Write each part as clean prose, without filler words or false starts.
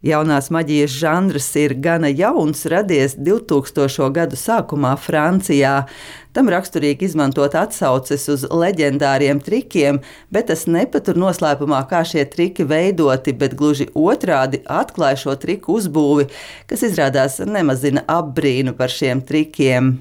Jaunās maģijas žanrs ir gana jauns, radies 2000. gadu sākumā Francijā. Tam raksturīgi izmantot atsauces uz leģendāriem trikiem, bet tas nepatur noslēpumā, kā šie triki veidoti, bet gluži otrādi atklāja šo triku uzbūvi, kas izrādās nemazina apbrīnu par šiem trikiem.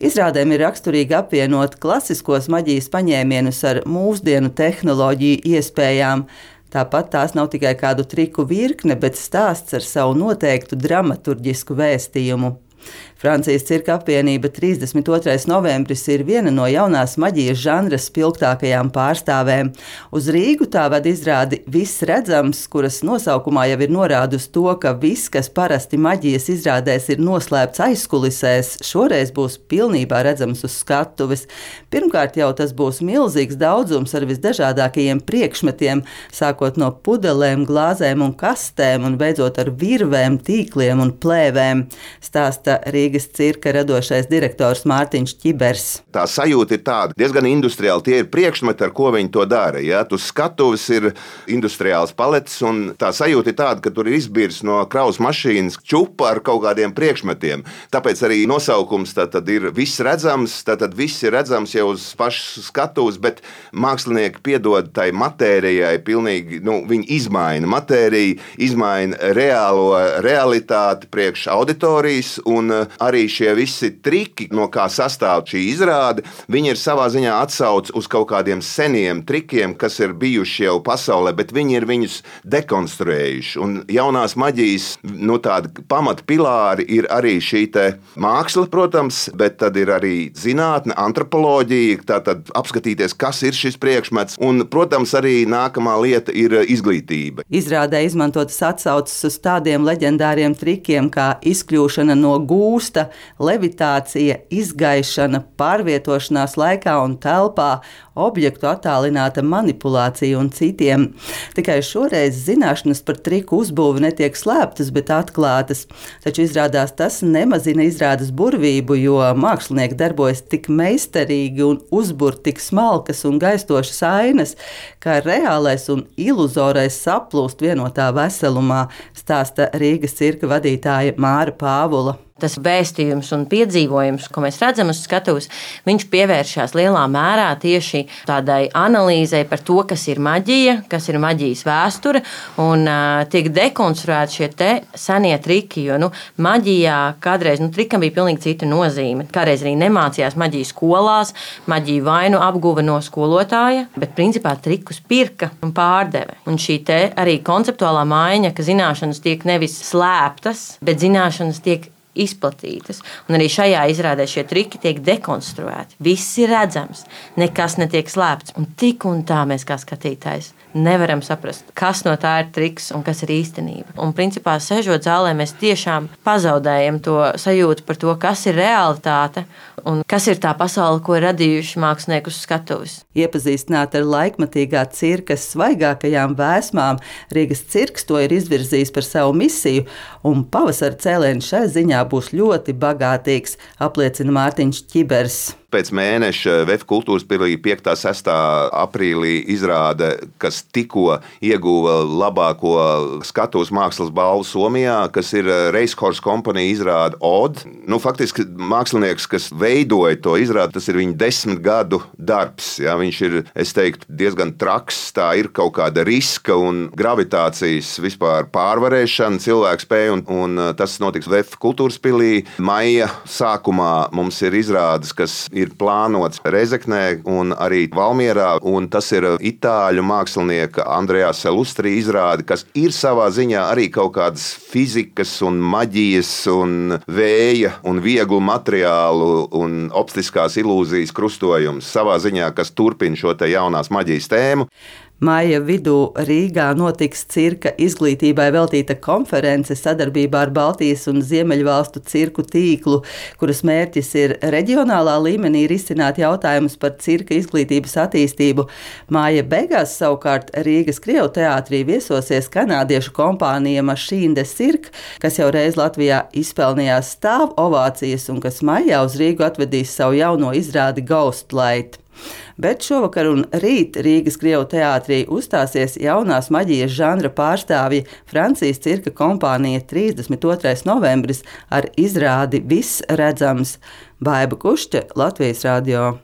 Izrādēm ir raksturīgi apvienot klasiskos maģijas paņēmienus ar mūsdienu tehnoloģiju iespējām. Tāpat tās nav tikai kādu triku virkne, bet stāsts ar savu noteiktu dramaturģisku vēstījumu. Francijas cirka apvienība 32. novembris ir viena no jaunās maģijas žanra spilgtākajām pārstāvēm. Uz Rīgu tā ved izrādi Viss redzams, kuras nosaukumā jau ir norāde uz to, ka viss, kas parasti maģijas izrādēs ir noslēpts aizkulisēs, šoreiz būs pilnībā redzams uz skatuves. Pirmkārt jau tas būs milzīgs daudzums ar visdažādākajiem priekšmetiem, sākot no pudelēm, glāzēm un kastēm un beidzot ar virvēm, tīkliem un plēvēm, stāsta Rīgas cirka radošais direktors Mārtiņš Ķibers. Tā sajūta ir tāda, diezgan industriāli. Tie ir priekšmeti, ar ko viņi to dara. Ja? Uz skatuves ir industriāls paletes, un tā sajūta ir tāda, ka tur ir izbirs no kravas mašīnas čupa ar kaut kādiem priekšmetiem. Tāpēc arī nosaukums tad ir Viss redzams, tad viss ir redzams jau uz pašas skatuves, bet mākslinieki piedod tai matērijai pilnīgi, viņi izmaina matēriju, izmaina realitāti priekš auditorijas, un arī šie visi triki, no kā sastāv šī izrāde, viņi ir savā ziņā atsauc uz kaut kādiem seniem trikiem, kas ir bijuši jau pasaulē, bet viņi ir viņus dekonstruējuši. Un jaunās maģijas, tādi pamatpilāri ir arī šī te māksla, protams, bet tad ir arī zinātne, antropoloģija, tātad apskatīties, kas ir šis priekšmets, un, protams, arī nākamā lieta ir izglītība. Izrādē izmantotas atsauces uz tādiem leģendāriem trikiem kā izkļūšana no gūsta, levitācija, izgaišana, pārvietošanās laikā un telpā, objektu attālināta manipulācija un citiem. Tikai šoreiz zināšanas par triku uzbūvi netiek slēptas, bet atklātas. Taču izrādās tas nemazina izrādes burvību, jo mākslinieki darbojas tik meistarīgi un uzbur tik smalkas un gaistošas ainas, ka reālais un iluzorais saplūst vienotā veselumā, stāsta Rīgas cirka vadītāja Māra Pāvula. Tas vēstījums un piedzīvojums, ko mēs redzam uz skatuves, viņš pievēršas lielā mērā tieši tādai analīzei par to, kas ir maģija, kas ir maģijas vēsture, un tiek dekonstruēti šie te senie triki, jo maģijā kādreiz trikam bija pilnīgi cita nozīme. Kādreiz arī nemācījās maģiju skolās, maģiju vainu apguva no skolotāja, bet principā trikus pirka un pārdeve. Un šī te arī konceptuālā maiņa, ka zināšanas tiek nevis slēptas, bet zināšanas tiek izplatītas. Un arī šajā izrādē šie triki tiek dekonstruēti. Viss ir redzams, nekas netiek slēpts. Un tik un tā mēs kā skatītājs nevaram saprast, kas no tā ir triks un kas ir īstenība. Un principā sežot zālē, mēs tiešām pazaudējam to sajūtu par to, kas ir realitāte un kas ir tā pasaule, ko ir radījuši mākslinieki uz skatuves. Iepazīstināt ar laikmatīgā cirkas svaigākajām vēsmām, Rīgas cirks to ir izvirzījis par savu misiju, un pavasara cēliens šai ziņā būs ļoti bagātīgs, apliecina Mārtiņš Ķibers. Pēc mēneša VF kultūras pilī 5. un 6. aprīlī izrāde, kas tikko ieguva labāko skatuves mākslas balvu Somijā, kas ir Reishorst kompanija izrāde Ode. Faktiski mākslinieks, kas veidoja to izrādi, tas ir viņa 10 gadu darbs. Ja? Viņš ir, es teiktu, diezgan traks. Tā ir kaut kāda riska un gravitācijas vispār pārvarēšana, cilvēku spēja, un tas notiks VF kultūras pilī. Maija sākumā mums ir izrādes, kas ir plānots Rezeknē un arī Valmierā, un tas ir itāļu mākslinieka Andrea Salustri izrāde, kas ir savā ziņā arī kaut kādas fizikas un maģijas un vēja un vieglu materiālu un optiskās ilūzijas krustojums savā ziņā, kas turpina šo te jaunās maģijas tēmu. Maija vidū Rīgā notiks cirka izglītībai veltīta konference sadarbībā ar Baltijas un Ziemeļvalstu cirku tīklu, kuras mērķis ir reģionālā līmenī risināt jautājumus par cirka izglītības attīstību. Māja beigās savukārt Rīgas Krievu teātrī viesosies kanādiešu kompānija Machine de Cirque, kas jau reiz Latvijā izpelnījās stāvu ovācijas un kas maijā uz Rīgu atvedīs savu jauno izrādi Ghostlight. Bet šovakar un rīt Rīgas Krievu teātrī uzstāsies jaunās maģijas žanra pārstāvji Francijas cirka kompānija 32. novembris ar izrādi Viss redzams. Baiba Kušķe, Latvijas radio.